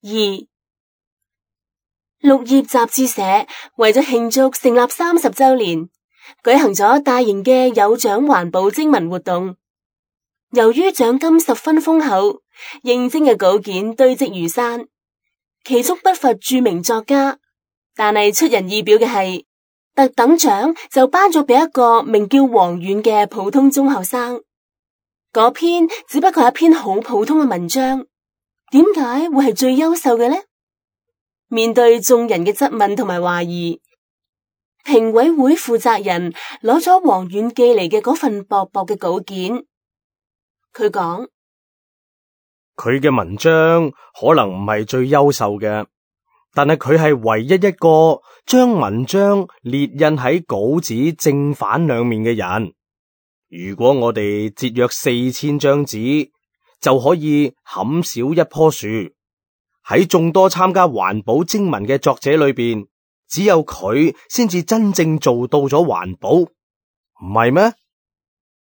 2. 綠葉雜誌社為咗慶祝成立30週年，舉行咗大型嘅有獎環保徵文活動。由於獎金十分豐厚，應徵嘅稿件堆積如山，其中不乏著名作家。但係出人意表嘅係，特等獎就頒咗俾一個名叫黃遠嘅普通中學生。嗰篇只不過係一篇好普通嘅文章，點解會係最優秀嘅呢？面對眾人嘅質問同埋懷疑，評委會負責人攞咗黃遠寄嚟嘅嗰份薄薄嘅稿件，佢講：佢嘅文章可能唔係最優秀嘅，但係佢係唯一一個將文章列印喺稿紙正反兩面嘅人。如果我哋節約4000張紙，就可以砍少一棵樹。喺眾多參加環保徵文嘅作者裏邊，只有佢先至真正做到咗環保，唔係咩？